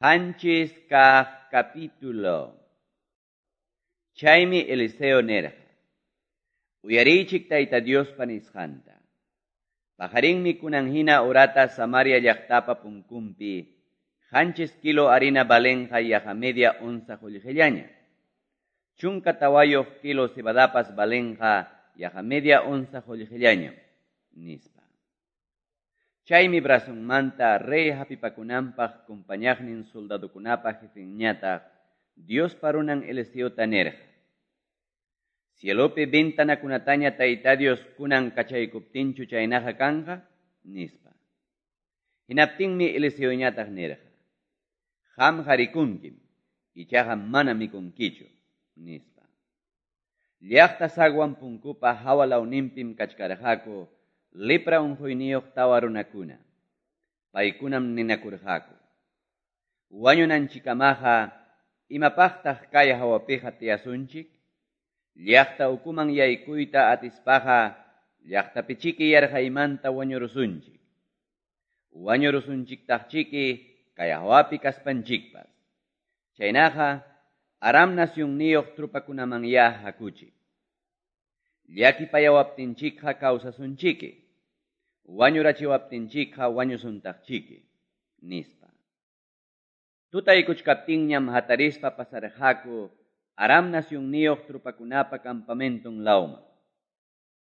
7 kaq capítulo. Chaymi Eliseo nirqa: Uyariychik Tayta Diospa nisqanta. Paqarinmi kunan hina horata Samaria llaqtapa punkunpi 7 kilo harina valenqa yaqa media onza qullqillaña. 14 kilo cebadapas valenqa yaqa media onza qullqillañam, nispa. Chaymi brazonmanta rey hapipakunanpaq compañaqnin soldadokunapa jefenñataq Diospa runan Eliseota nirqa: Cielopi ventanakunataña Tayta Dios kunan kachaykuptinchu chaynaqa kanqa, nispa. Hinaptinmi Eliseoñataq nirqa: Qamqa rikunkim, ichaqa mana mikunkichu, nispa. Llaqta zaguan punkupa hawa lawninpim kachkarqaku lepra unquyniyuq 4 runakuna. Paykunam ninakurqaku: Wañunanchikkamaqa imapaqtaq kay hawapiqa tiyasunchik? Llaqta ukuman yaykuyta atispaqa llaqtapichiki yarqaymanta wañurusunchik. Wañurusunchiktaqchiki kay hawapi kaspanchikpas. Chaynaqa Aram nacionniyuq tropakunamanyá hakuchik. Llakipayawaptinchikqa kawsasunchiki. Wañurachiwaptinchikqa wañusuntaqchiki, nispa. Tutaykuchkaptinñam hatarispa pasarqaku Aram nacionniyuq tropakunapa campamenton lawman.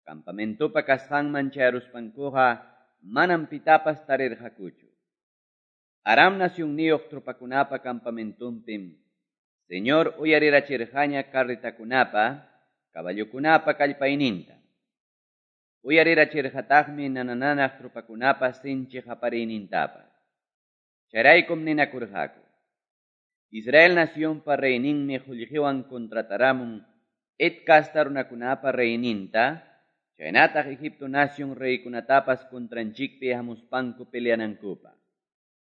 Campamentopa kasqanman chayaruspankuqa manam pitapas tarirqakuchu. Aram nacionniyuq tropakunapa campamentonpim Señor uyarirachirqaña carretakunapa, caballokunapa kallpayninta. Uyarirachirqataqmi nana-nanaq tropakunapa sinchi qapariynintapas. Chayraykum ninakurqaku: Israel nacionpa reyninmi qullqiwan contrataramun Het casta runakunapa reyninta, chaynataq Egipto nacion reykunatapas contranchikpi hamuspanku peleanankupaq,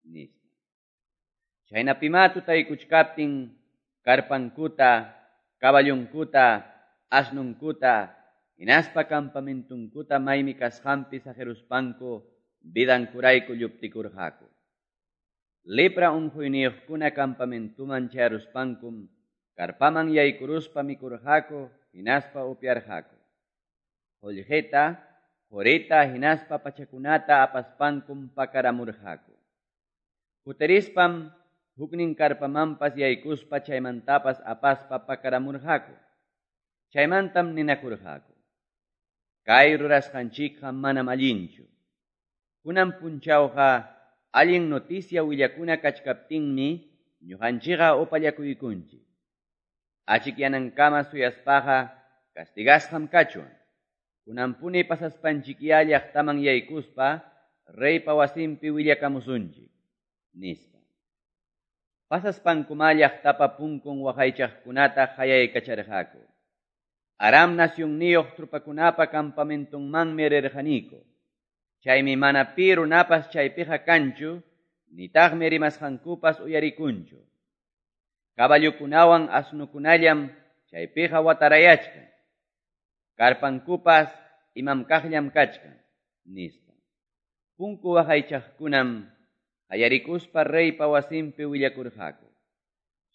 nispa. Chaynapimá tutaykuchkaptin carpankuta, caballonkuta, asnunkuta, hinaspa campamentunkuta maymi kasqanpi saqiruspanku vidankurayku lluptikurqaku. Lepra unquyniyuqkuna campamentuman chayaruspankum carpaman yaykuruspa mikurqaku hinaspa upyarqaku. Qullqita, qurita hinaspa pachakunata apaspankum pakaramurqaku. Kutirispam huknin carpamanpas yaykuspa chaymantapas apaspa pakaramurqaku. Chaymantam ninakurqaku: Kay rurasqanchikqa manam allinchu. Kunan punchawqa allin noticia willakuna kachkaptinmi ñuqanchikqa upallakuykunchik. Achikyanankama suyaspaqa castigasqam kachwan. Kunanpuni pasaspanchikyá llaqtaman yaykuspa reypa wasinpi willakamusunchik, nispa. Pasaspankumá llaqtapa punkun waqaychaqkunata qayaykacharqaku: Aram nacionniyuq tropakunapa campamentonmanmi rirqaniku. Chaymi mana pi runapas chaypiqa kanchu, nitaqmi rimasqankupas uyarikunchu. Caballokunawan asnukunallam chaypiqa watarayachkan. Carpankupas imam kaqllam kachkan, nispa. Punku waqaychaqkunam qayarikuspa reypa wasinpi willakurqaku.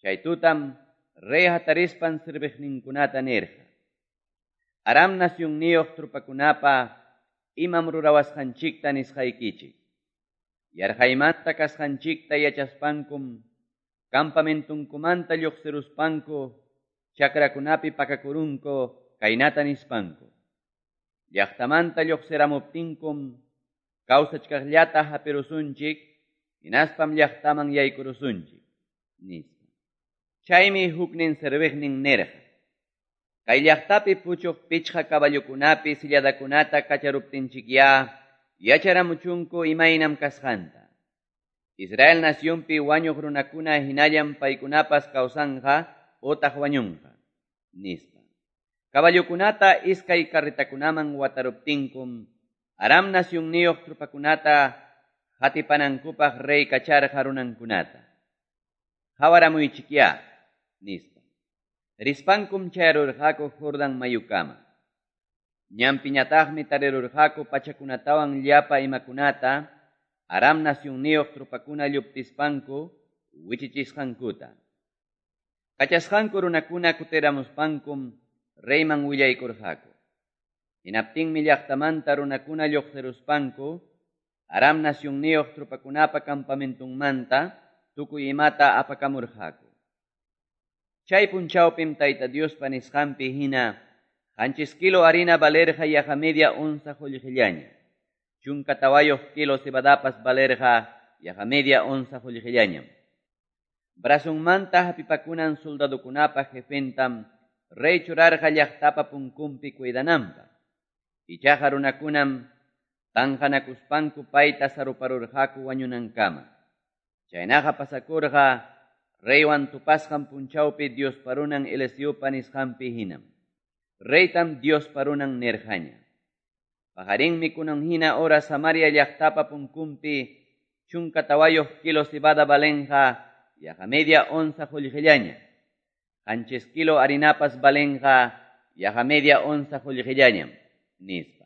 Chay tutam rey hatarispan serviqninkunata nirqa: Aram nacionniyuq tropakunapa imam rurawasqanchikta nisqaykichik. Yarqaymanta kasqanchikta yachaspankum campamentunkumanta lluqsiruspanku chakrakunapi pakakurunku kaynata nispanku: Llaqtamanta lluqsiramuptinkum kawsachkaqllata hapirusunchik, hinaspam llaqtaman yaykurusunchik, nispa. Chaymi huknin serviqnin nirqa: Kay llaqtapi puchuq 5 caballokunapi silladakunata kacharuptinchikyá yacharamuchunku imaynam kasqanta. Israel nacionpi wañuq runakuna hinallam paykunapas kawsanqa otaq wañunqa, nispa. Caballokunata 2 carretakunaman wataruptinkum Aram nacionniyuq tropakunata hatipanankupaq rey kacharqa runankunata: Qawaramuychikyá, nispa. Rispankum chayarurqaku Jordan mayukama. Ñanpiñataqmi tarirurqaku pachakunatawan llapa imakunata Aram nacionniyuq tropakuna lluptispanku wichichisqankuta. Kachasqanku runakuna kutiramuspankum reyman willaykurqaku. Hinaptinmi llaqtamanta runakuna lluqsiruspanku Aram nacionniyuq tropakunapa campamentunmanta tukuy imata apakamurqaku. Chay punchawpim Tayta Diospa nisqanpi hina 7 kilo harina valerqa yaqa media onza qullqillaña. 14 kilo cebadapas valerqa yaqa media onza qullqillañam. Brazonmanta hapipakunan soldadokunapa jefentam rey churarqa llaqtapa punkunpi cuidananpaq. Ichaqa runakunam tanqanakuspanku payta saruparurqaku wañunankama. Chaynaqa pasakurqa reywan tupasqan punchawpi Diospa runan Eliseopa nisqanpi hinam. Reytam Diospa runan nirqaña. Paqarinmi kunan hina hora Samaria llaqtapa punkunpi 14 kilo cebada valenqa yaqa media onza qullqillaña. 7 kilo harinapas valenqa yaqa media onza qullqillañam, nispa.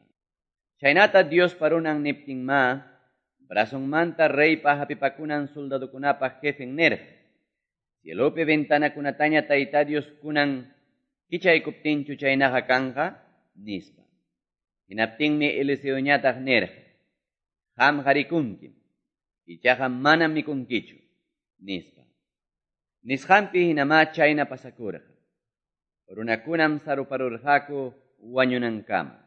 Chaynata Diospa runan niptinma, brazonmanta reypa hapipakunan soldadokunapa jefen nirqa. Cielopi ventanakunataña Tayta Dios kunan kichaykuptinchu chaynaqa kanqa, nispa. Hinaptinmi Eliseoñataq nirqa, qamqa rikunkim, ichaqa manam mikunkichu, nispa. Nisqanpi hinamá chayna pasakurqa. Runakunam saruparurqaku wañunankama.